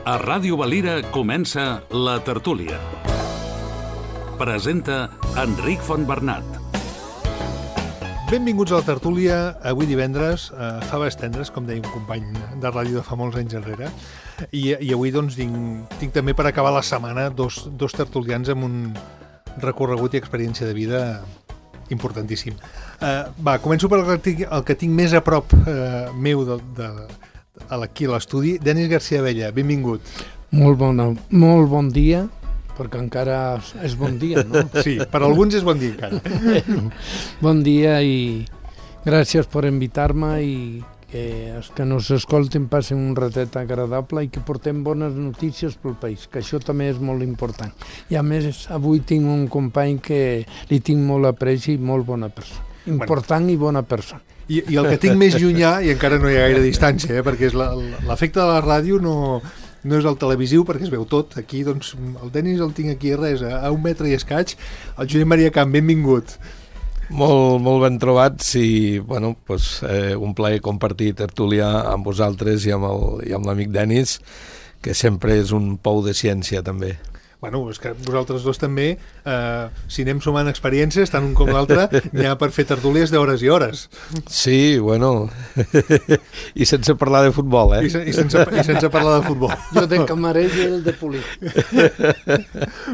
A Ràdio Valira comença La Tertúlia. Presenta Enric Fontbernat. Benvinguts a La Tertúlia, avui divendres, faves tendres, com deia un company de ràdio de fa molts anys enrere, i avui doncs tinc també per acabar la setmana dos tertulians amb un recorregut i experiència de vida importantíssim. Començo per el que tinc més a prop meu aquí a l'estudi. Denis García Abella, benvingut. Molt bon dia, perquè encara és bon dia, no? Sí, per alguns és bon dia encara. Bon dia i gràcies per invitar-me i que els que nos escolten passin un ratet agradable i que portem bones notícies pel país, que això també és molt important. I a més, avui tinc un company que li tinc molt apreci i molt bona persona. Important i bona persona. I el que tinc més llunyà, i encara no hi ha gaire distància, perquè és l'efecte de la ràdio no és el televisiu, perquè es veu tot. Aquí, doncs, el Denis el tinc aquí a 1 metre i escaig. El Josep Maria Camp, benvingut. Molt ben trobats i, bueno, doncs, un plaer compartir tertúlia amb vosaltres i amb l'amic Denis, que sempre és un pou de ciència, també. Bueno, és que vosaltres dos també, si anem sumant experiències, tant un com l'altre, n'hi ha per fer tertúlies d'hores i hores. Sí, bueno, i sense parlar de futbol, eh? I sense parlar de futbol. Jo de camarer i el de polir.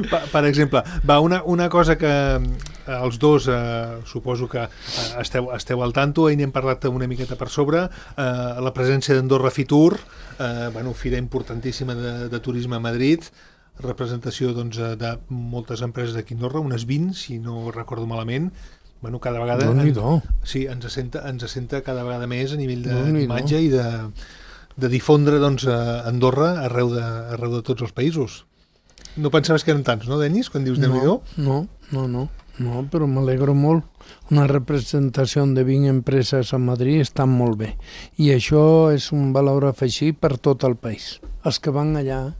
Per exemple, una cosa que els dos suposo que esteu al tanto, i n'hem parlat una miqueta per sobre, la presència d'Andorra Fitur, fira importantíssima de turisme a Madrid, representació doncs, de moltes empreses d'aquí a Andorra, unes 20, si no recordo malament. Cada vegada ens assenta cada vegada més a nivell d'imatge i de difondre doncs, Andorra arreu de tots els països. No pensaves que eren tants, no, Denis, quan dius Déu-n'hi-do? No, però m'alegro molt. Una representació de 20 empreses a Madrid està molt bé. I això és un valor afegit per tot el país. Els que van allà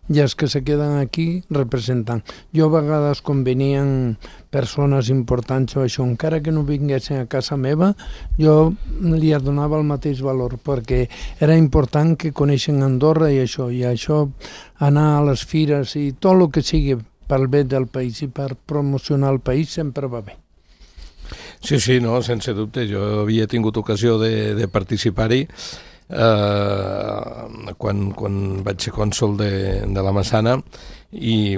i els que se queden aquí representant. Jo a vegades quan venien persones importants o això, encara que no vinguessin a casa meva, jo li donava el mateix valor, perquè era important que coneixen Andorra i això anar a les fires i tot el que sigui pel bé del país i per promocionar el país sempre va bé. Sí, no, sense dubte. Jo havia tingut ocasió de participar-hi quan vaig ser cònsol de la Massana i,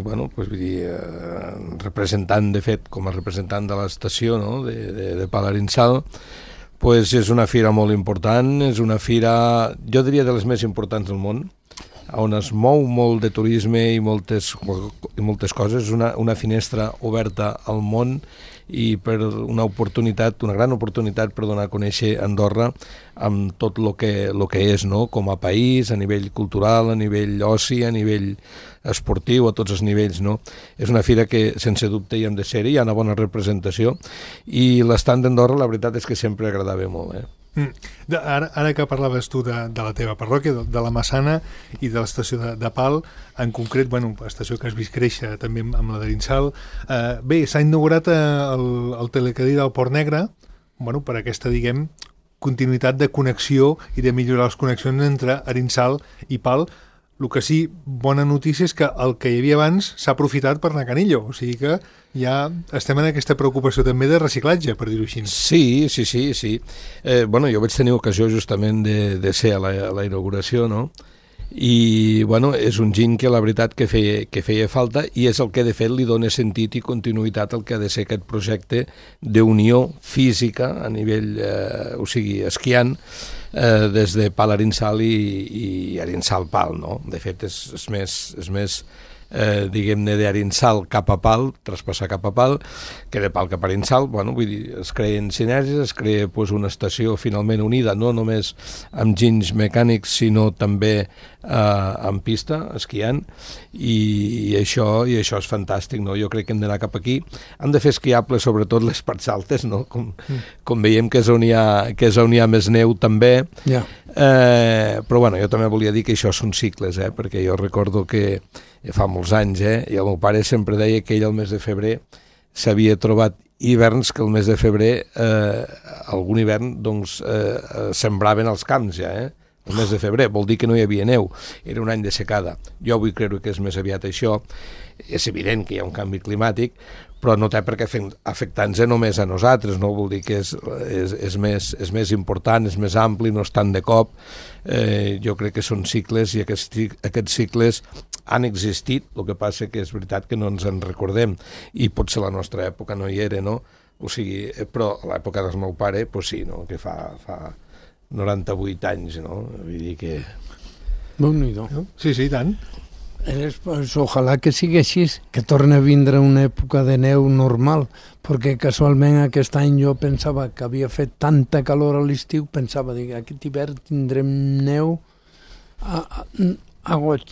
representant, de fet, com a representant de l'estació, no?, de Palarinsal, és una fira molt important, és una fira, jo diria, de les més importants del món, on es mou molt de turisme i moltes coses, una finestra oberta al món i per una gran oportunitat per donar a conèixer Andorra amb tot el que és, no?, com a país, a nivell cultural, a nivell oci, a nivell esportiu, a tots els nivells, no? És una fira que, sense dubte, hi hem de ser-hi, hi ha una bona representació i l'estant d'Andorra, la veritat és que sempre agradava molt, Ara que parlaves tu de la teva parròquia, de la Massana i de l'estació de Pal, en concret, estació que has vist créixer també amb la d'Arinsal, s'ha inaugurat el telecadí del Port Negre, per aquesta, diguem, continuïtat de connexió i de millorar les connexions entre Arinsal i Pal. El que sí, bona notícia és que el que hi havia abans s'ha aprofitat per anar a Canillo, o sigui que ja estem en aquesta preocupació també de reciclatge, per dir-ho així. Sí. Jo vaig tenir ocasió justament de ser a la inauguració, no? I, és un giny que la veritat que feia falta i és el que de fet li dona sentit i continuïtat al que ha de ser aquest projecte d'unió física a nivell, esquiant, des de Pal Arinsal i Arinsal Pal, no? De fet, és més diguem-ne, d'Arinsal cap a Pal, traspassar cap a Pal, que de Pal cap a Arinsal, es creen sinergies, es crea una estació finalment unida, no només amb ginys mecànics, sinó també en pista, esquiant, i això és fantàstic, no? Jo crec que hem d'anar cap aquí. Han de fer esquiables, sobretot les parts altes, no? Com veiem que és on hi ha més neu, també. Però, jo també volia dir que això són cicles, perquè jo recordo que fa molts anys, i el meu pare sempre deia que ell al mes de febrer s'havia trobat hiverns que el mes de febrer, algun hivern, sembraven els camps ja, el mes de febrer, vol dir que no hi havia neu, era un any de secada. Jo vull creure que és més aviat això. És evident que hi ha un canvi climàtic, però no té per què afectar-nos només a nosaltres, no? Vol dir que és més important, és més ampli, no és tant de cop. Jo crec que són cicles i aquests cicles han existit, el que passa que és veritat que no ens en recordem i potser la nostra època no hi era, no? O sigui, però a l'època del meu pare, doncs sí, no? Que fa 98 anys, no? Vull dir que... Déu-n'hi-do. Sí, sí, tant. Pues, ojalà que sigui així, que torni a vindre una època de neu normal, perquè casualment aquest any jo pensava que havia fet tanta calor a l'estiu, pensava que aquest hivern tindrem neu a goig,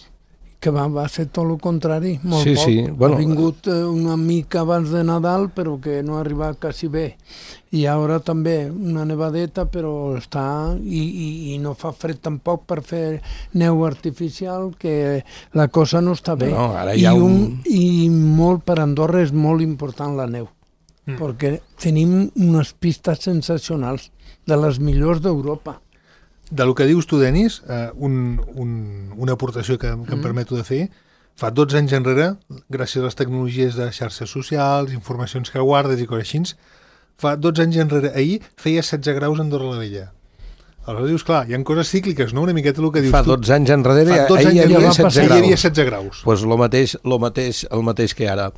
que va ser tot el contrari, molt Sí, poc. sí, bueno, ha vingut una mica abans de Nadal, però que no ha arribat quasi bé. I ara també una nevadeta, però està... I no fa fred tampoc per fer neu artificial, que la cosa no està bé. No, ara hi ha I molt, per Andorra és molt important la neu, perquè tenim unes pistes sensacionals, de les millors d'Europa. Del que dius tu, Denis, una aportació que em permeto de fer, fa 12 anys enrere, gràcies a les tecnologies de xarxes socials, informacions que guardes i coses així, fa 12 anys enrere, ahir, feia 16 graus a Andorra la Vella. Aleshores dius, clar, hi ha coses cícliques, no? Una miqueta el que dius fa tu. 12 anys enrere Fa 12 ahir anys hi havia enrere 16 hi graus. havia 16 graus. Pues el mateix que ara.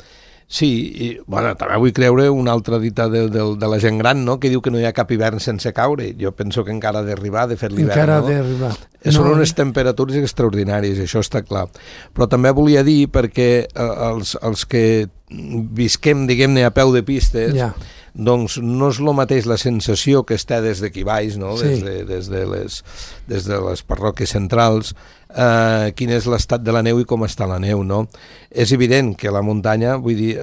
Sí, i, bueno, també vull creure una altra dita de la gent gran, no?, que diu que no hi ha cap hivern sense caure. Jo penso que encara ha d'arribar, de fet, l'hivern, Encara no? ha d'arribar. Són unes temperatures extraordinàries, això està clar. Però també volia dir, perquè els que visquem, diguem-ne, a peu de pistes, doncs no és el mateix la sensació que es té des d'aquí baix, no? Sí. Des de les parròquies centrals, quin és l'estat de la neu i com està la neu, no? És evident que la muntanya, vull dir,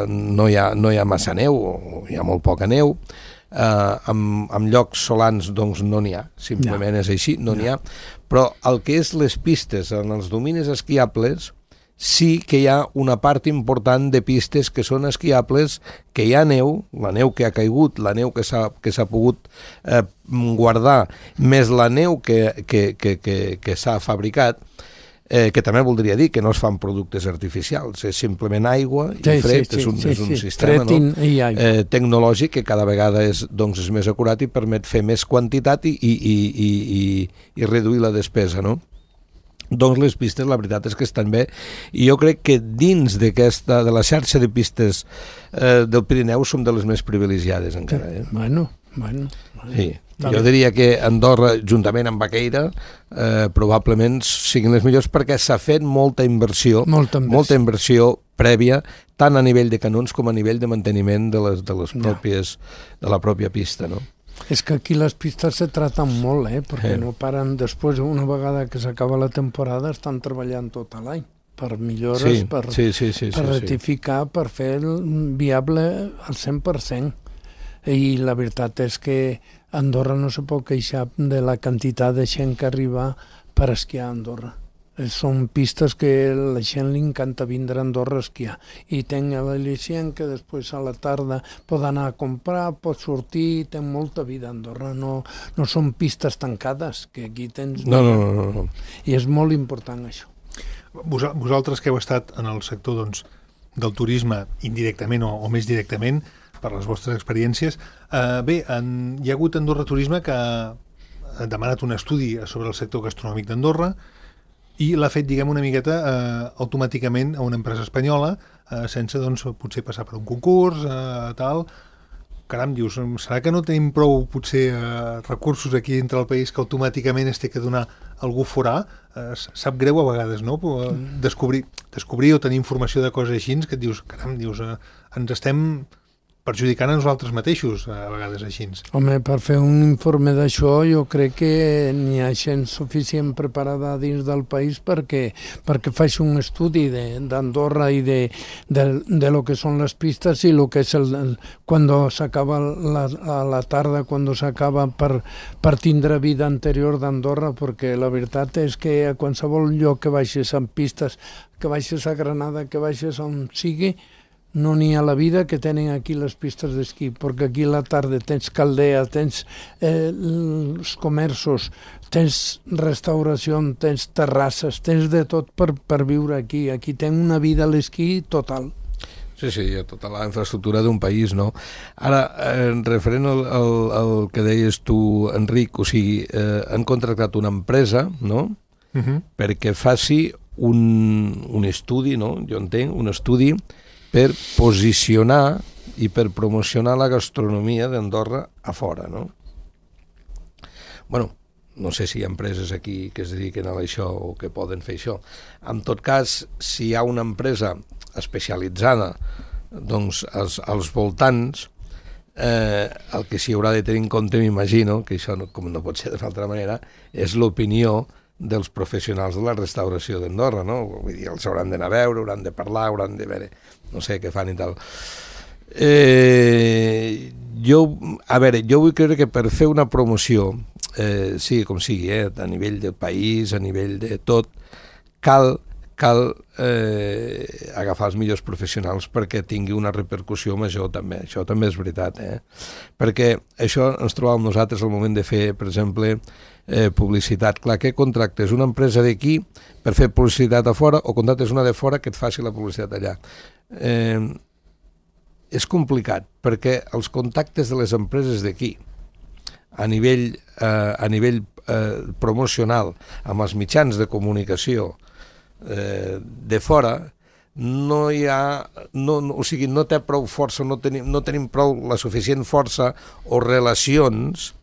no hi ha massa neu, o hi ha molt poca neu, en llocs solans doncs no n'hi ha, simplement és així, no n'hi ha, però el que és les pistes en els dominis esquiables sí que hi ha una part important de pistes que són esquiables, que hi ha neu, la neu que ha caigut, la neu que s'ha pogut guardar, més la neu que s'ha fabricat, que també voldria dir que no es fan productes artificials, és simplement aigua i fred, és un sistema tecnològic que cada vegada és més acurat i permet fer més quantitat i reduir la despesa, no? Doncs les pistes, la veritat és que estan bé, i jo crec que dins de la xarxa de pistes del Pirineu som de les més privilegiades encara. Bueno. Sí. Jo diria que Andorra, juntament amb Baqueira, probablement siguin les millors perquè s'ha fet molta inversió prèvia, tant a nivell de canons com a nivell de manteniment de la pròpia pista, no? És que aquí les pistes se traten molt, perquè no paren, després, una vegada que s'acaba la temporada, estan treballant tot l'any per millores, per rectificar, per fer viable al 100%. I la veritat és que Andorra no se pot queixar de la quantitat de gent que arriba per esquiar a Andorra. Són pistes que a la gent li encanta vindre a Andorra a esquiar. I tenc l'al·licient que després a la tarda pot anar a comprar, pot sortir, té molta vida a Andorra. No són pistes tancades, que aquí tens... No. I és molt important això. Vosaltres que heu estat en el sector del turisme indirectament o més directament, per les vostres experiències, hi ha hagut Andorra Turisme que ha demanat un estudi sobre el sector gastronòmic d'Andorra i l'ha fet, diguem, una miqueta automàticament a una empresa espanyola, sense, potser passar per un concurs, tal. Caram, dius, serà que no tenim prou, potser, recursos aquí dintre del país que automàticament es té que donar algú forà? Sap greu a vegades, no? Descobrir o tenir informació de coses així que et dius, caram, ens estem perjudicant a nosaltres mateixos, a vegades així. Home, per fer un informe d'això jo crec que n'hi ha gent suficient preparada dins del país perquè faci un estudi d'Andorra i de lo que són les pistes i lo que és quan s'acaba a la tarda, quan s'acaba per tindre vida anterior d'Andorra, perquè la veritat és que a qualsevol lloc que baixes amb pistes, que baixes a Granada, que baixes on sigui, No n'hi ha la vida que tenen aquí les pistes d'esquí, perquè aquí a la tarda tens caldea, tens els comerços, tens restauració, tens terrasses, tens de tot per viure aquí. Aquí tens una vida a l'esquí total. Sí, tota la infraestructura d'un país, no? Ara, referent al que deies tu, Enric, o sigui, han contractat una empresa, no?, perquè faci un estudi, no?, jo entenc, un estudi per posicionar i per promocionar la gastronomia d'Andorra a fora, no? Bueno, no sé si hi ha empreses aquí que es dediquen a això o que poden fer això. En tot cas, si hi ha una empresa especialitzada, doncs als voltants, el que s'hi haurà de tenir en compte, m'imagino, que això com no pot ser d'una altra manera, és l'opinió dels professionals de la restauració d'Andorra, no? Vull dir, els hauran d'anar a veure, hauran de parlar, hauran de veure, no sé què fan i tal. Jo vull creure que per fer una promoció, sigui com sigui, a nivell del país, a nivell de tot, cal agafar els millors professionals perquè tingui una repercussió major també. Això també és veritat, perquè això ens trobàvem nosaltres al moment de fer, per exemple, publicitat. Clar, què contractes? Una empresa d'aquí per fer publicitat a fora o contractes una de fora que et faci la publicitat allà? És complicat perquè els contactes de les empreses d'aquí a nivell promocional amb els mitjans de comunicació de fora no hi ha, o sigui, no té prou força, no tenim prou la suficient força o relacions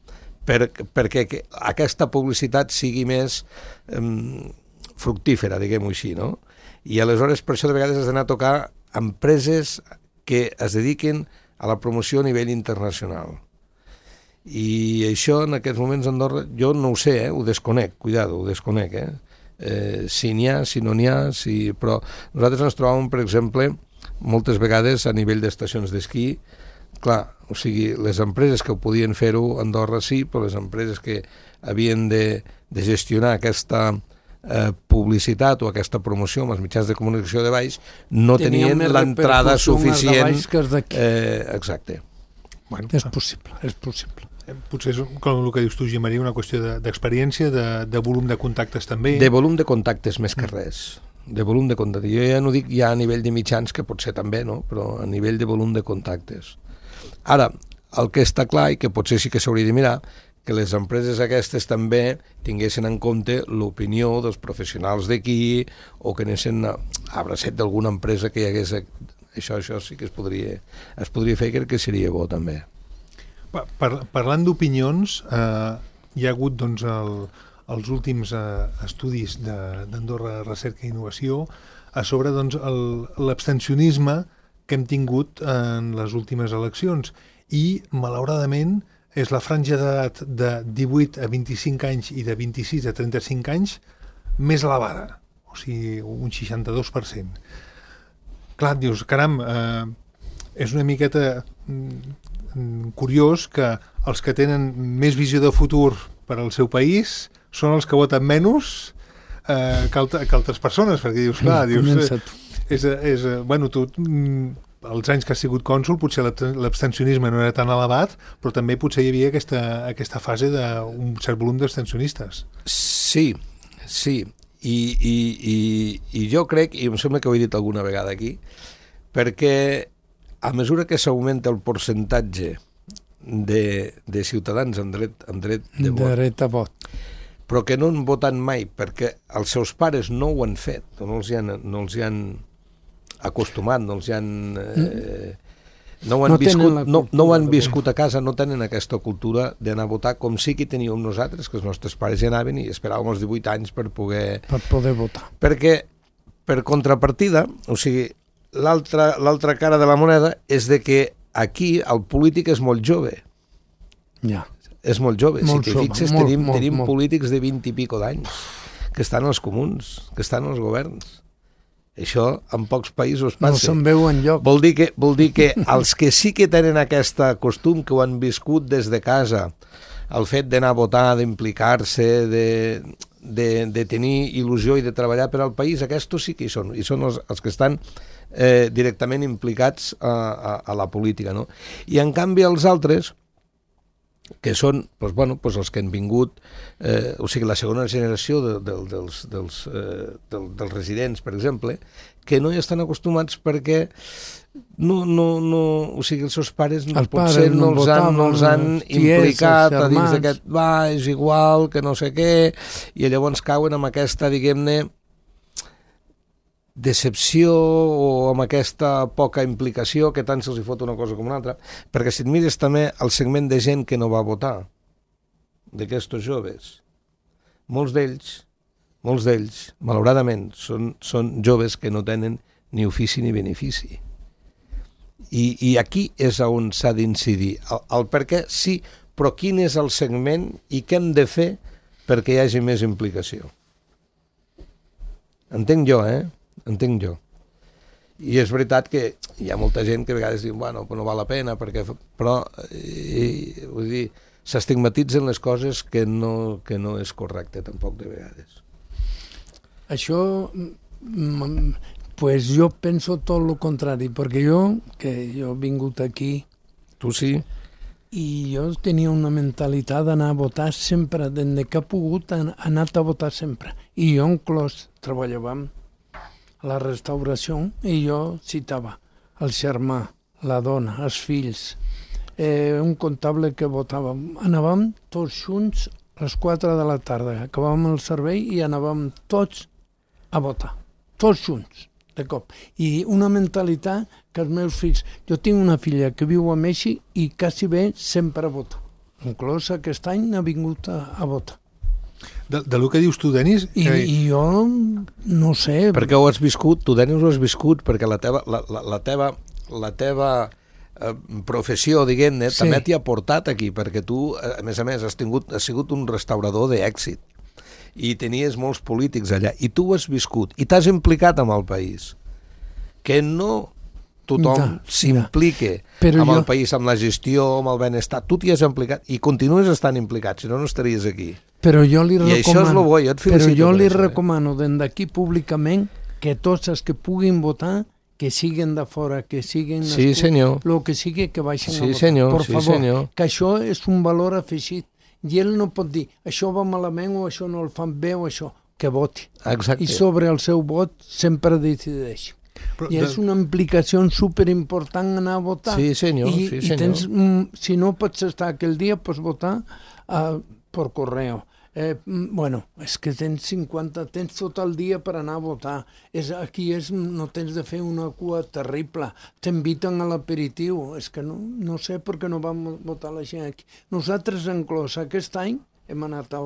perquè aquesta publicitat sigui més fructífera, diguem-ho així, no? I aleshores per això de vegades has d'anar a tocar empreses que es dediquen a la promoció a nivell internacional. I això en aquests moments a Andorra, jo no ho sé, ho desconec, cuidado, ho desconec, si n'hi ha, si no n'hi ha, però nosaltres ens trobàvem, per exemple, moltes vegades a nivell d'estacions d'esquí, clar, o sigui, les empreses que ho podien fer-ho a Andorra sí, però les empreses que havien de gestionar aquesta publicitat o aquesta promoció amb els mitjans de comunicació de baix no tenien l'entrada suficient. Exacte. Bueno, és possible. Potser és, com el que dius tu, Gimaria, una qüestió d'experiència, de volum de contactes també. De volum de contactes més que res. De volum de contactes. Jo ja no dic ja a nivell de mitjans, que potser també, no? Però a nivell de volum de contactes. Ara, el que està clar i que potser sí que s'hauria de mirar, que les empreses aquestes també tinguessin en compte l'opinió dels professionals d'aquí o que anessin a bracet d'alguna empresa que hi hagués... Això sí que es podria fer, crec que seria bo també. Parlant d'opinions, hi ha hagut doncs, els últims estudis d'Andorra Recerca i Innovació a sobre doncs, l'abstencionisme que hem tingut en les últimes eleccions i, malauradament, és la franja d'edat de 18 a 25 anys i de 26 a 35 anys més elevada, o sigui, un 62%. Clar, dius, caram, és una miqueta curiós que els que tenen més visió de futur per al seu país són els que voten menys que altres persones, perquè dius, clar, bueno, tu... els anys que has sigut cònsol potser l'abstencionisme no era tan elevat, però també potser hi havia aquesta fase d'un cert volum d'abstencionistes. Sí. I jo crec, i em sembla que ho he dit alguna vegada aquí, perquè a mesura que s'augmenta el percentatge de ciutadans amb dret de vot, però que no han votat mai perquè els seus pares no ho han fet, no els hi han acostumat, no ho han viscut a casa, no tenen aquesta cultura d'anar a votar com sí que teníem nosaltres, que els nostres pares hi anaven i esperàvem els 18 anys per poder votar. Perquè, per contrapartida, o sigui, l'altra cara de la moneda és de que aquí el polític és molt jove. Ja. És molt jove. Si t'hi fixes, tenim polítics de 20 i pico d'anys que estan als comuns, que estan als governs. Això en pocs països passa. No se'n veu enlloc. Vol dir que els que sí que tenen aquest costum, que ho han viscut des de casa, el fet d'anar a votar, d'implicar-se, de tenir il·lusió i de treballar per al país, aquests sí que hi són. I són els que estan directament implicats a la política, no? I en canvi els altres, que són els que han vingut, o sigui, la segona generació dels residents, per exemple, que no hi estan acostumats perquè o sigui, els seus pares potser no els han implicat a dins d'aquest, és igual, que no sé què, i llavors cauen amb aquesta, diguem-ne, decepció o amb aquesta poca implicació que tant se'ls hi fot una cosa com una altra, perquè si et mires també el segment de gent que no va votar, d'aquests joves, molts d'ells, malauradament, són joves que no tenen ni ofici ni benefici. I aquí és on s'ha d'incidir. El per què, sí, però quin és el segment i què hem de fer perquè hi hagi més implicació. Entenc jo, Entenc jo. I és veritat que hi ha molta gent que a vegades diu, bueno, no val la pena, però vull dir, s'estigmatitzen les coses que no és correcte tampoc de vegades. Això, pues jo penso tot el contrari, perquè jo he vingut aquí... Tu sí? I jo tenia una mentalitat d'anar a votar sempre, des que he pogut, he anat a votar sempre. I jo inclòs treballàvem a la restauració i jo citava el germà, la dona, els fills, un comptable que votàvem. Anàvem tots junts a les 4 de la tarda, acabàvem el servei i anàvem tots a votar, tots junts, de cop. I una mentalitat que els meus fills... Jo tinc una filla que viu a Mèxic i quasi bé sempre vota. Inclús aquest any ha vingut a votar. De lo que dius tu, Denis... I jo no sé... Perquè ho has viscut, tu, Denis, ho has viscut, perquè la teva professió, diguem-ne, sí, també t'hi ha portat aquí, perquè tu, a més, has sigut un restaurador d'èxit i tenies molts polítics allà, i tu ho has viscut, i t'has implicat amb el país. Que no tothom s'implique amb el país, amb la gestió, amb el benestar. Tu t'hi has implicat i continues estant implicat, si no, no estaries aquí. Però jo li recomano, i això és el bo, jo et felicito. Però jo li recomano d'aquí públicament que tots els que puguin votar, que siguen de fora, que siguen... Sí, senyor. El que sigui, que baixen a votar. Senyor, per favor, senyor. Que això és un valor afegit. I ell no pot dir, això va malament o això no el fan bé o això, que voti. Exacte. I sobre el seu vot sempre decideix. Però i és una implicació superimportant anar a votar. Sí, senyor. I tens, si no pots estar aquell dia, pots votar per correu. És que tens tot el dia per anar a votar. No tens de fer una cua terrible. T'inviten a l'aperitiu. És que no sé per què no vam votar la gent aquí. Nosaltres, inclús aquest any, hem anat a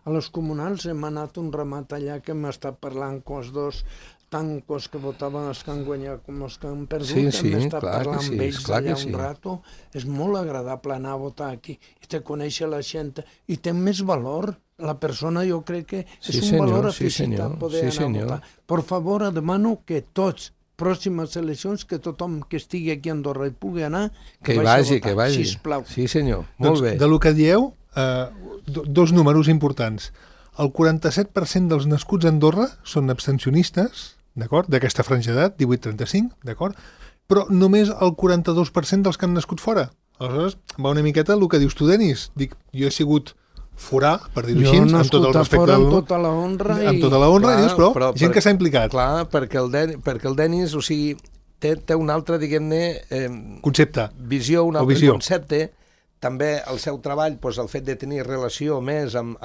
les comunals, hem anat un ramat allà que hem estat parlant amb els dos tancos que votaven els que han guanyat com els que han perdut. Hem estat parlant amb ells allà un rato. És molt agradable anar a votar aquí i te conèixer la gent i té més valor. La persona, jo crec que és un valor afegit a poder anar a votar. Per favor, demano que tots, pròximes eleccions, que tothom que estigui aquí a Andorra i pugui anar, que vagi a votar, sisplau. Sí, senyor, molt bé. De lo que dieu, dos números importants. El 47% dels nascuts a Andorra són abstencionistes, d'acord? D'aquesta franja d'edat, 18-35, d'acord? Però només el 42% dels que han nascut fora. Aleshores, va una miqueta el que dius tu, Denis. Dic, jo he sigut forà, per dir-ho així, amb tot el respecte amb tota la honra, però gent que s'ha implicat. Clar, perquè el Denis, o sigui, té un altre, diguem-ne... concepte. Visió, un altre concepte. També el seu treball, el fet de tenir relació més amb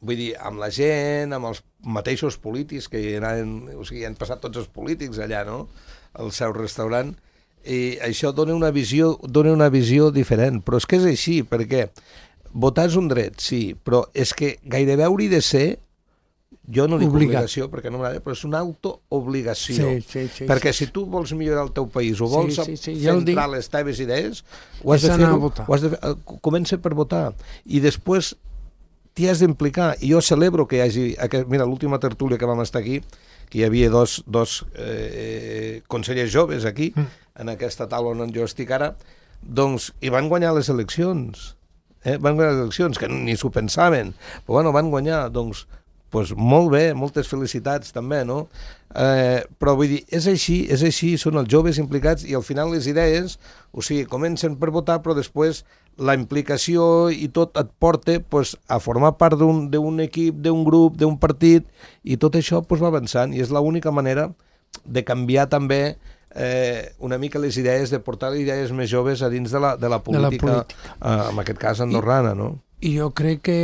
la gent, amb els mateixos polítics que hi han passat tots els polítics allà, no?, al seu restaurant, i això dona una visió diferent. Però és que és així, perquè votar és un dret, sí, però és que gairebé hauria de ser, jo no dic obligació perquè no m'agrada, però és una autoobligació. Perquè si tu vols millorar el teu país o vols centrar les teves idees, ho has de fer, comença per votar. I després t'hi has d'implicar. I jo celebro que hi hagi... Mira, l'última tertúlia que vam estar aquí, que hi havia dos consellers joves aquí, en aquesta taula on jo estic ara, doncs, i van guanyar les eleccions. Van guanyar les eleccions, que ni s'ho pensaven, però bueno, van guanyar, doncs pues molt bé, moltes felicitats també, no? Però vull dir, és així, són els joves implicats i al final les idees, o sigui, comencen per votar, però després la implicació i tot et porta pues, a formar part d'un equip, d'un grup, d'un partit, i tot això pues, va avançant, i és l'única manera de canviar també una mica les idees, de portar les idees més joves a dins de la política, en aquest cas andorrana, no? I jo crec que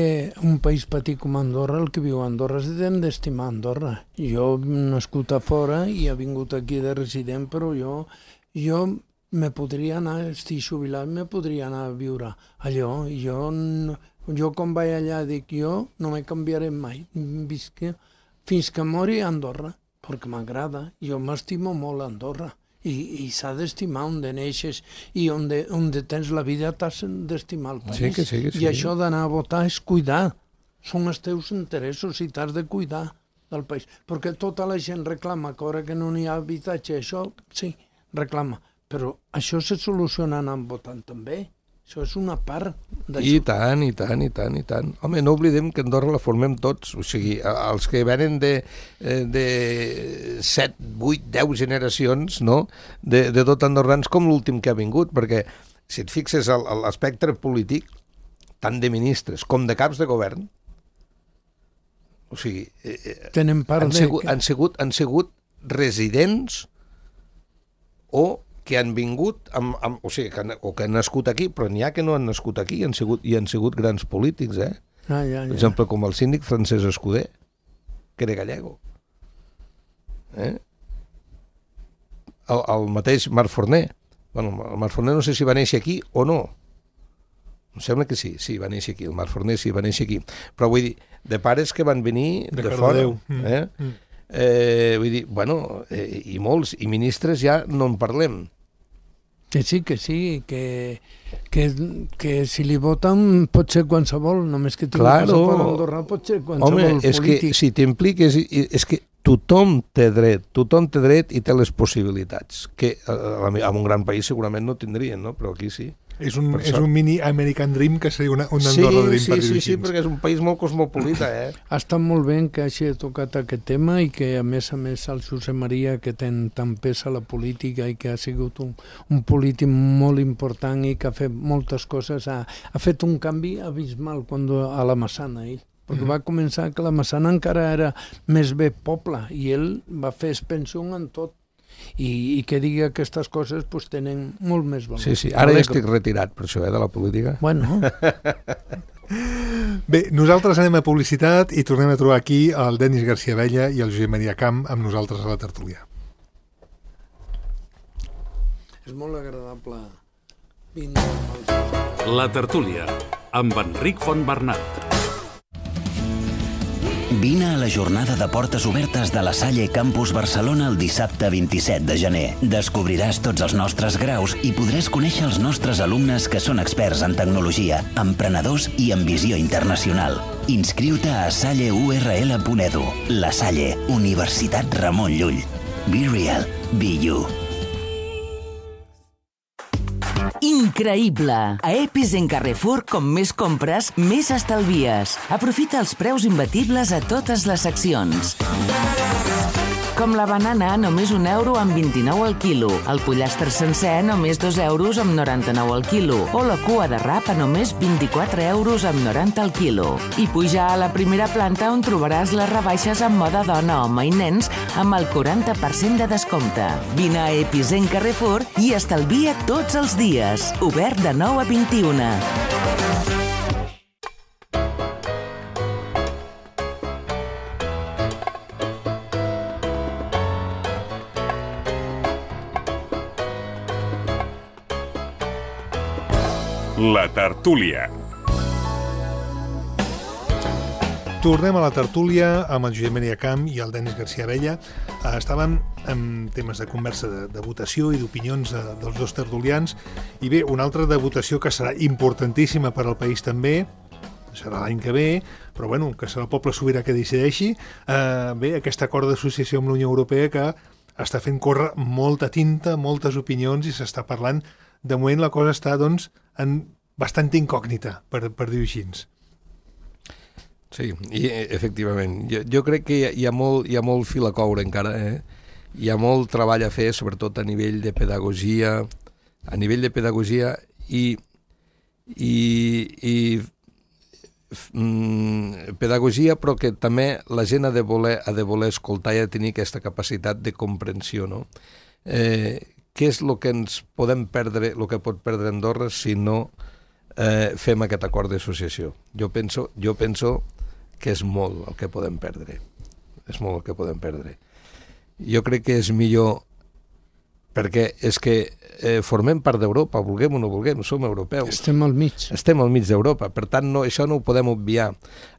un país petit com Andorra, el que viu a Andorra, s'han d'estimar Andorra. Jo he nascut a fora i he vingut aquí de resident, però jo me podria anar, estic jubilat, me podria anar a viure allò. Jo quan vaig allà dic, jo no me canviaré mai. Visc fins que mori a Andorra, perquè m'agrada. Jo m'estimo molt a Andorra. I s'ha d'estimar on neixes i on tens la vida t'has d'estimar el país. Sí, que sí. I això d'anar a votar és cuidar. Són els teus interessos i t'has de cuidar del país. Perquè tota la gent reclama que ara que no n'hi ha habitatge, això sí, reclama. Però això se soluciona anant votant també. Això és una part d'això. I tant. Home, no oblidem que Andorra la formem tots. O sigui, els que venen de 7, 8, 10 generacions, no?, de tot andorrans com l'últim que ha vingut, perquè si et fixes l'espectre polític, tant de ministres com de caps de govern, o sigui, han sigut residents o que han vingut, o sigui, que han nascut aquí, però n'hi ha que no han nascut aquí i han sigut grans polítics, eh? Per exemple, com el síndic Francesc Escuder, que era gallego. El mateix Marc Forner. Bueno, el Marc Forner no sé si va néixer aquí o no. Em sembla que sí, va néixer aquí. El Marc Forner sí, va néixer aquí. Però vull dir, de pares que van venir de fora. Vull dir, bueno, i molts, i ministres ja no en parlem. Que sí, que si li voten pot ser qualsevol, només que tingui passaport andorrà pot ser qualsevol polític. Home, és que si t'impliques, és que tothom té dret i té les possibilitats, que en un gran país segurament no tindrien, no? Però aquí sí. És un mini American Dream que seria un Andorra Dream per dir-ho així. Sí, perquè és un país molt cosmopolita, eh? Ha estat molt bé que hagi tocat aquest tema i que a més el Josep Maria, que té tant pes a la política i que ha sigut un polític molt important i que ha fet moltes coses, ha fet un canvi abismal a la Massana, ell. Perquè va començar que la Massana encara era més bé poble i ell va fer expansió en tot. I que digui aquestes coses pues, tenen molt més valor. Sí, ara ja estic retirat per això, de la política. Bueno. Bé, nosaltres anem a publicitat i tornem a trobar aquí el Denis García Abella i el Josep Maria Camp amb nosaltres a la tertúlia. És molt agradable. La tertúlia amb Enric Fontbernat. Vine a la jornada de portes obertes de la Salle Campus Barcelona el dissabte 27 de gener. Descobriràs tots els nostres graus i podràs conèixer els nostres alumnes que són experts en tecnologia, emprenedors i en visió internacional. Inscriu-te a salleurl.edu. La Salle, Universitat Ramon Llull. Be real, be you. Increïble! A Epis en Carrefour, com més compres, més estalvies. Aprofita els preus imbatibles a totes les seccions. Com la banana, només €1 amb 29 al quilo. El pollastre sencer, només €2 amb 99 al quilo. O la cua de rap a només €24 amb 90 al quilo. I puja a la primera planta on trobaràs les rebaixes en moda dona, home i nens amb el 40% de descompte. Vine a Epis en Carrefour i estalvia tots els dies. Obert de 9 a 21. La tertúlia. Tornem a la tertúlia amb el Josep Maria Camp i el Denis García Abella. Estàvem en temes de conversa de votació i d'opinions dels dos tertulians. I bé, una altra de votació que serà importantíssima per al país també, serà l'any que ve, però bueno, que serà el poble sobirà que decideixi. Bé, aquest acord d'associació amb la Unió Europea que està fent córrer molta tinta, moltes opinions i s'està parlant. De moment la cosa està, doncs, en bastant incògnita, per dir-ho així. Sí, i efectivament. Jo crec que hi ha molt fil a coure encara, Hi ha molt treball a fer, sobretot a nivell de pedagogia, pedagogia, però que també la gent ha de voler escoltar i ha de tenir aquesta capacitat de comprensió, no? Què és el que ens podem perdre, el que pot perdre Andorra si no fem aquest acord d'associació? Jo penso que és molt el que podem perdre. És molt el que podem perdre. Jo crec que és millor, perquè és que formem part d'Europa, vulguem o no vulguem, som europeus. Estem al mig. Estem al mig d'Europa, per tant això no ho podem obviar.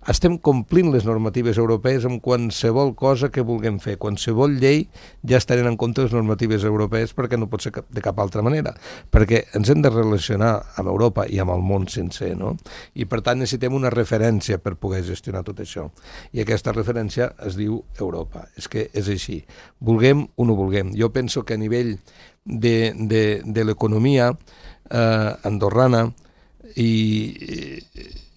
Estem complint les normatives europees amb qualsevol cosa que vulguem fer. Qualsevol llei ja estarem en compte les normatives europees perquè no pot ser de cap altra manera, perquè ens hem de relacionar amb Europa i amb el món sencer, no? I per tant necessitem una referència per poder gestionar tot això. I aquesta referència es diu Europa. És que és així. Vulguem o no vulguem. Jo penso que a nivell de l'economia andorrana i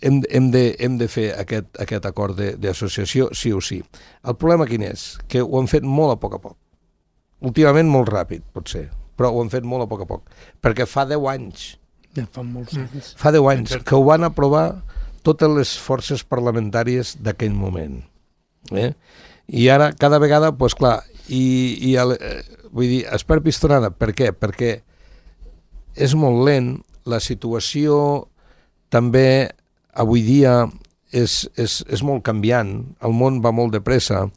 hem de fer aquest acord d'associació sí o sí. El problema quin és? Que ho han fet molt a poc. Últimament molt ràpid, potser, però ho han fet molt a poc, perquè fa 10 anys. Ja fa molts anys. Fa 10 anys que ho van aprovar totes les forces parlamentàries d'aquell moment. I ara, cada vegada, doncs clar, vull dir, es perd pistonada. Per què? Perquè és molt lent, la situació també avui dia és molt canviant, el món va molt de pressa,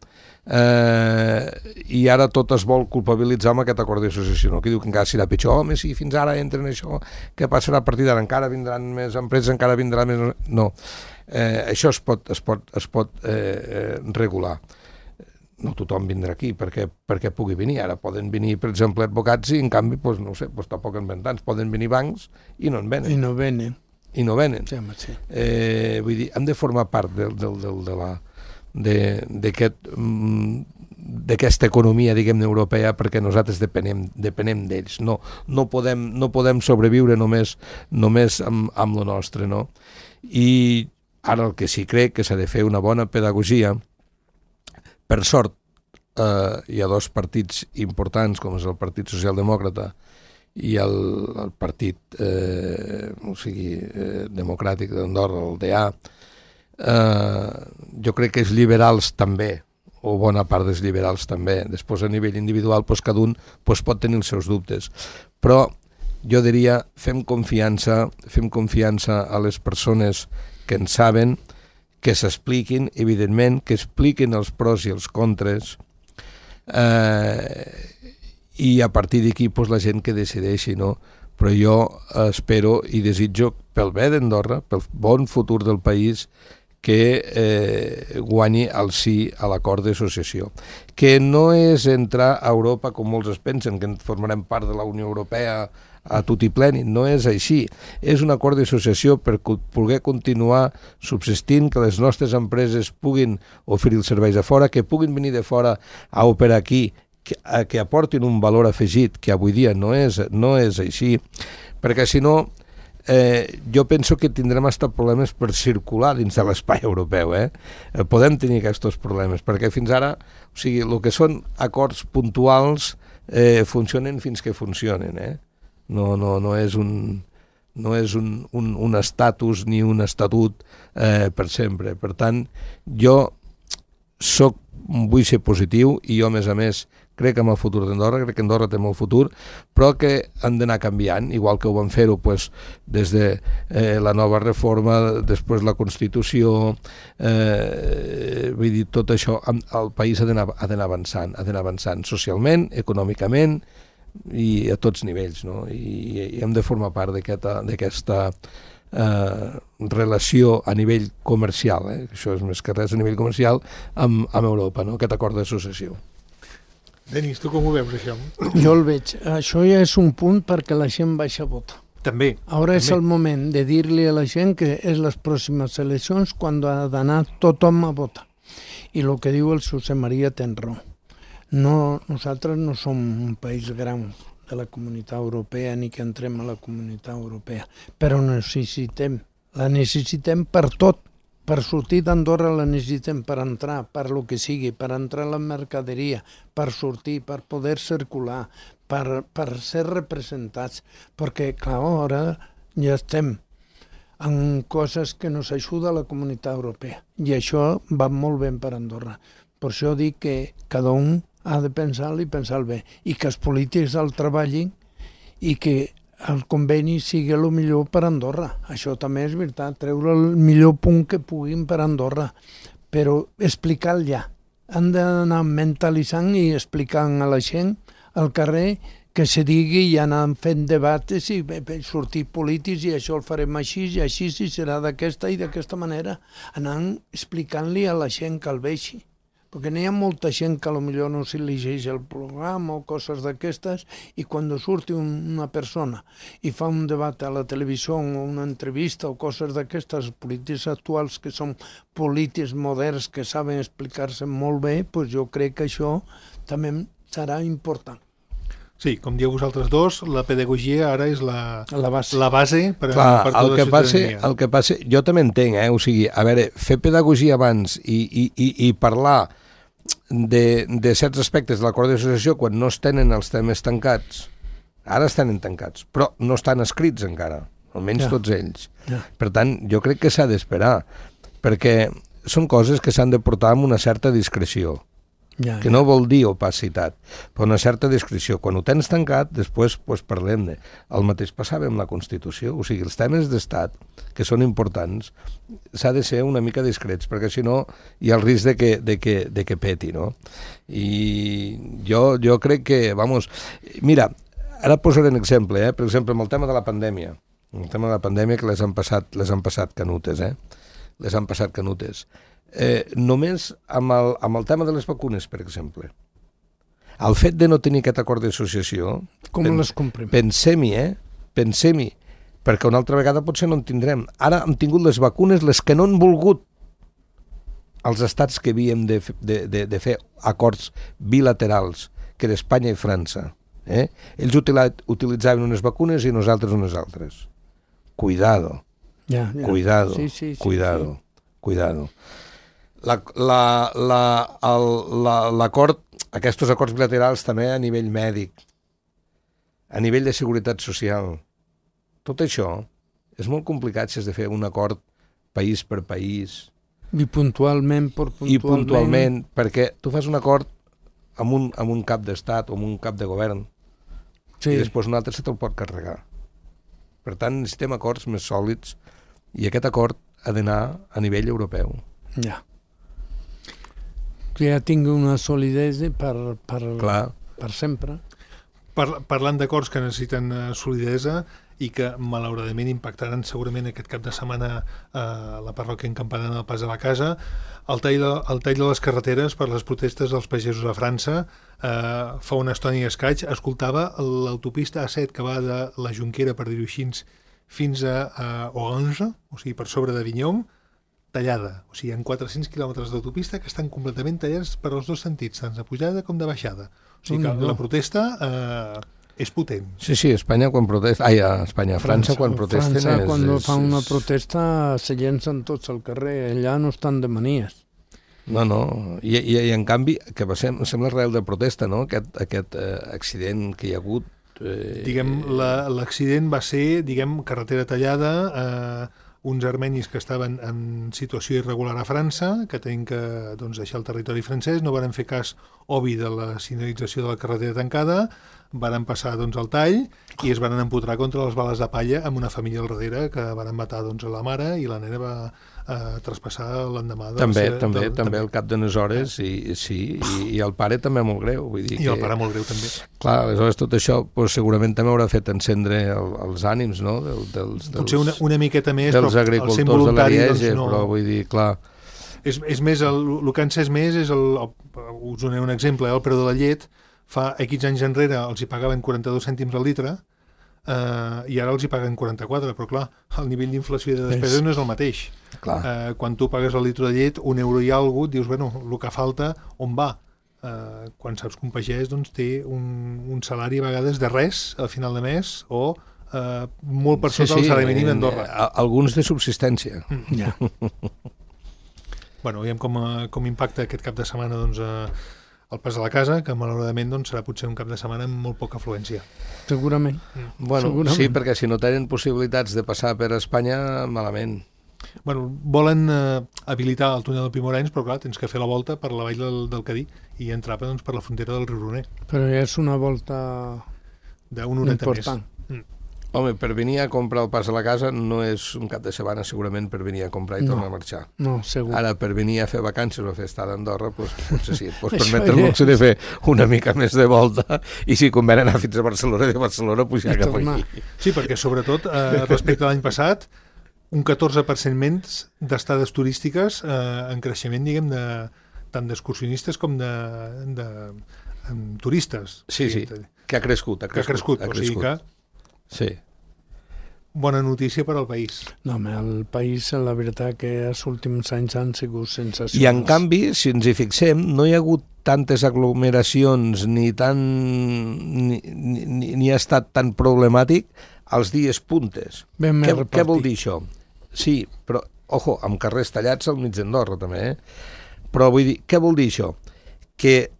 i ara tot es vol culpabilitzar amb aquest acord d'associació, no? Que diu que encara serà pitjor, home, si fins ara entren això, què passarà a partir d'ara? Encara vindran més empreses, encara vindrà més... No, això es pot regular. No tothom vindrà aquí perquè pugui venir. Ara poden venir, per exemple, advocats i, en canvi, doncs, no sé, doncs tampoc en ven tants. Poden venir bancs i no en venen. I no venen. Sí, sí. Vull dir, hem de formar part d'aquesta economia, diguem-ne, europea, perquè nosaltres depenem d'ells. No podem sobreviure només amb lo nostre, no? I ara el que sí crec que s'ha de fer una bona pedagogia. Per sort, hi ha dos partits importants, com és el Partit Socialdemòcrata i el Partit Democràtic d'Andorra, el DA. Jo crec que els liberals també, o bona part dels liberals també. Després, a nivell individual, cada un pot tenir els seus dubtes. Però jo diria, fem confiança a les persones que en saben, que s'expliquin, evidentment, que expliquin els pros i els contres, i a partir d'aquí la gent que decideixi, no? Però jo espero i desitjo, pel bé d'Andorra, pel bon futur del país, que guanyi el sí a l'acord d'associació. Que no és entrar a Europa, com molts es pensen, que formarem part de la Unió Europea a tutti pleni. No és així. És un acord d'associació per poder continuar subsistint, que les nostres empreses puguin oferir els serveis a fora, que puguin venir de fora a operar aquí, que aportin un valor afegit, que avui dia no és així, perquè si no jo penso que tindrem hasta problemes per circular dins de l'espai europeu. Podem tenir aquests problemes, perquè fins ara, o sigui, el que són acords puntuals funcionen fins que funcionen. No és un estatus ni un estatut per sempre. Per tant, jo vull ser positiu i jo, a més, crec en el futur d'Andorra, crec que Andorra té molt futur, però que han d'anar canviant, igual que ho van fer-ho des de la nova reforma, després la Constitució, vull dir, tot això, el país ha d'anar avançant socialment, econòmicament i a tots nivells, no? I hem de formar part d'aquesta relació a nivell comercial, això és més que res a nivell comercial, amb Europa, no? Aquest acord d'associació. Denis, tu com ho veus, això? Jo el veig. Això ja és un punt perquè la gent baixa a votar. També. Ara és el moment de dir-li a la gent que és les pròximes eleccions quan ha d'anar tothom a votar. I el que diu el José María té raó. Nosaltres no som un país gran de la Comunitat Europea ni que entrem a la Comunitat Europea, però la necessitem per tot, Per sortir d'Andorra la necessitem per entrar, per lo que sigui, per entrar a la mercaderia, per sortir, per poder circular, per ser representats, perquè, clar, ara ja estem en coses que nos ajuda la Comunitat Europea, i això va molt bé per Andorra. Per això dic que cada un ha de pensar-li i pensar bé, i que els polítics el treballin i que el conveni sigui el millor per Andorra. Això també és veritat, treure el millor punt que puguin per Andorra, però explicar-lo ja. Han d'anar mentalitzant i explicant a la gent al carrer que se digui i anar fent debats i sortir polítics i això el farem així i així i serà d'aquesta i d'aquesta manera. Anant explicant-li a la gent que el vegi. Perquè n'hi ha molta gent que potser no s'hi llegeix el programa o coses d'aquestes i quan surti una persona i fa un debat a la televisió o una entrevista o coses d'aquestes, polítics actuals que són polítics moderns que saben explicar-se molt bé, doncs jo crec que això també serà important. Sí, com dieu vosaltres dos, la pedagogia ara és la base per Clar, tota la ciutadania. El que passa, jo també entenc, o sigui, a veure, fer pedagogia abans i parlar de certs aspectes de l'acord d'associació quan no es tenen els temes tancats, ara es tenen tancats, però no estan escrits encara, almenys tots ells. Per tant, jo crec que s'ha d'esperar, perquè són coses que s'han de portar amb una certa discreció. Que no vol dir opacitat, però una certa discreció. Quan ho tens tancat, després parlem-ne. El mateix passava amb la Constitució, o sigui, els temes d'estat, que són importants, s'ha de ser una mica discrets, perquè si no hi ha el risc de que peti, no? I jo crec que, mira, ara posaré un exemple, per exemple, amb el tema de la pandèmia, que les han passat canutes, les han passat canutes. Només amb el tema de les vacunes, per exemple. El fet de no tenir aquest acord d'associació... Com les comprim? Pensem-hi, perquè una altra vegada potser no en tindrem. Ara hem tingut les vacunes, les que no han volgut els estats que havíem de fer acords bilaterals, que era Espanya i França. Ells utilitzaven unes vacunes i nosaltres unes altres. Cuidado. Cuidado. Cuidado. L'acord, aquests acords bilaterals també a nivell mèdic, a nivell de seguretat social, tot això és molt complicat si has de fer un acord país per país. I puntualment. I puntualment, perquè tu fas un acord amb un cap d'estat o amb un cap de govern i després un altre se te'l pot carregar. Per tant, necessitem acords més sòlids i aquest acord ha d'anar a nivell europeu. Que ja tingui una solidesa per sempre. Parlant d'acords que necessiten solidesa i que malauradament impactaran segurament aquest cap de setmana a la parròquia Campanar del Pas de la Casa, el tall de les carreteres per les protestes dels pagesos a França. Fa una estona i escaig escoltava l'autopista A7 que va de la Jonquera, per dir-ho així, fins a Orange, o sigui, per sobre d'Avinyó, tallada. O sigui, hi ha 400 quilòmetres d'autopista que estan completament tallats per els dos sentits, tant de pujada com de baixada. O sigui que la protesta és potent. Sí, Espanya quan protesta... França quan protesten... França quan fa una protesta se llencen tots al carrer, allà no estan de manies. No, i en canvi, que sembla real de protesta, no?, aquest accident que hi ha hagut. L'accident va ser, carretera tallada, uns armenis que estaven en situació irregular a França, que tenen que deixar el territori francès, no van fer cas obvi de la senyalització de la carretera tancada, van passar el tall i es van empotrar contra les bales de palla amb una família al darrere que van matar a la mare i la nena va traspassar l'endemà. També al cap d'unes hores, i el pare també molt greu. Vull dir el pare molt greu també. Clar, aleshores tot això segurament també haurà fet encendre els ànims, no? Potser una miqueta més, dels agricultors de l'Ariège, però vull dir, clar... És més, el que encès més és, us donaré un exemple, el preu de la llet. Fa X anys enrere els hi pagaven 42 cèntims al litre i ara els hi paguen 44, però clar, el nivell d'inflació i de despesa no és el mateix. Quan tu pagues el litre de llet, €1 i alguna cosa, dius, el que falta, on va? Quan saps que un pagès té un salari a vegades de res al final de mes o molt per sota del salari mínim a Andorra. Alguns de subsistència. Bueno, veiem com impacta aquest cap de setmana doncs, el pas a la casa, que malauradament doncs, serà potser un cap de setmana amb molt poca afluència. Segurament. Bueno, Segurament. sí, perquè si no tenen possibilitats de passar per Espanya, malament. Bueno, volen habilitar el túnel del Pimorens, però clar, tens que fer la volta per la vall del Cadí i entrar doncs, per la frontera del riu Roner. Però ja és una volta D'un horeta important. més. Home, per venir a comprar el pas a la casa no és un cap de setmana segurament per venir a comprar i tornar a marxar. No, segur. Ara, per venir a fer vacances o a fer estada a Andorra, doncs, potser sí, et pots Això permetre el ja luxe de fer una mica més de volta i si convé anar fins a Barcelona, de Barcelona pujar I cap tornar. aquí. Sí, perquè sobretot respecte a l'any passat, un 14% menys d'estades turístiques en creixement, diguem, tant d'excursionistes com de turistes. Sí, sí, que ha crescut. Que ha crescut, o sigui que Sí. bona notícia per al país. No, home, el país, la veritat que els últims anys han sigut sensacionals. I en canvi, si ens hi fixem, no hi ha hagut tantes aglomeracions ni ha estat tan problemàtic als dies puntes. Ben més Què vol repartit. dir això? Sí, però, ojo, amb carrers tallats al mig d'Andorra també, Però vull dir, què vol dir això? Que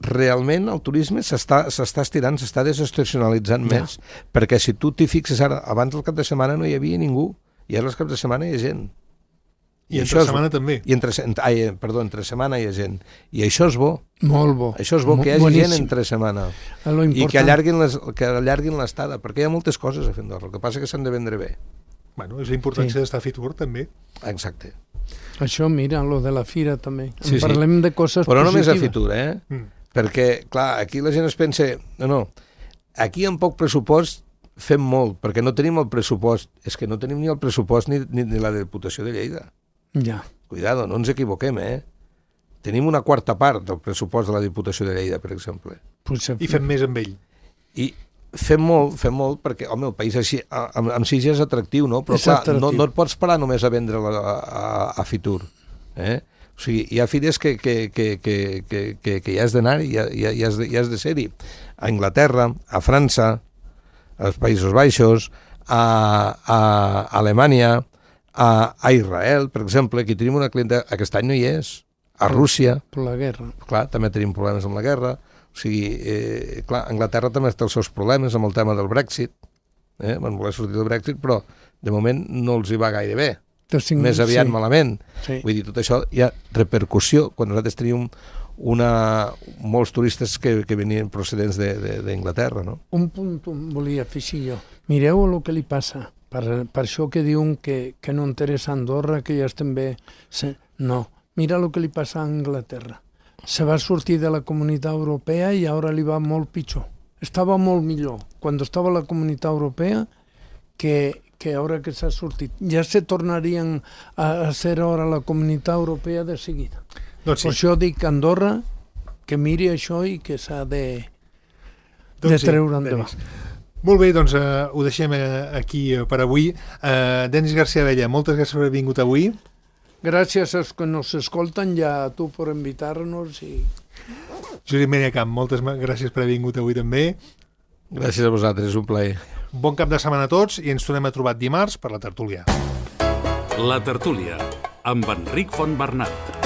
realment el turisme s'està estirant, s'està desestacionalitzant més, perquè si tu t'hi fixes ara, abans del cap de setmana no hi havia ningú, i ara el cap de setmana hi ha gent. I entre setmana també. I entre setmana hi ha gent. I això és bo. Molt bo. Això és bo, que hi hagi boníssim. gent entre setmana. I que allarguin l'estada, perquè hi ha moltes coses a fer a Andorra, el que passa que s'han de vendre bé. Bueno, és la importància d'estar a Fitur, també. Exacte. Això, mira, lo de la fira també. Parlem de coses però positives. no només a Fitur, Perquè, clar, aquí la gent es pensa... No, aquí amb poc pressupost fem molt, perquè no tenim el pressupost. És que no tenim ni el pressupost ni la Diputació de Lleida. Ja. Cuidado, no ens equivoquem, Tenim una quarta part del pressupost de la Diputació de Lleida, per exemple. I fem més amb ell. I fem molt, perquè, home, el país així, amb si ja és atractiu, no? Però, clar, no et pots parar només a vendre a Fitur, O sigui, hi ha fires que hi has d'anar i hi has de ser-hi. A Anglaterra, a França, als Països Baixos, a Alemanya, a Israel, per exemple, aquí tenim una clienta, aquest any no hi és, a Rússia. Per la guerra. Clar, també tenim problemes amb la guerra. O sigui, clar, Anglaterra també té els seus problemes amb el tema del Brexit. Van voler sortir del Brexit, però de moment no els hi va gaire bé. Més aviat malament. Sí. Vull dir, tot això hi ha repercussió quan nosaltres teníem molts turistes que venien procedents d'Anglaterra, no? Un punt volia afegir jo. Mireu el que li passa. Per això que diuen que no interessa Andorra, que ja estem bé. No, mira el que li passa a Anglaterra. Se va sortir de la Comunitat Europea i ara li va molt pitjor. Estava molt millor quan estava a la Comunitat Europea que ara que s'ha sortit. Ja se tornarien a ser ara la Comunitat Europea de seguida. Doncs sí. Per això dic a Andorra que miri això i que s'ha de treure endavant. Molt bé, doncs ho deixem aquí per avui. Denis García Abella, moltes gràcies per haver vingut avui. Gràcies als que nos escolten i a tu per invitar-nos. Josep Maria Camp, moltes gràcies per haver vingut avui també. Gràcies a vosaltres, un plaer. Bon cap de setmana a tots i ens tornem a trobar dimarts per la tertúlia. La tertúlia, amb Enric Fontbernat.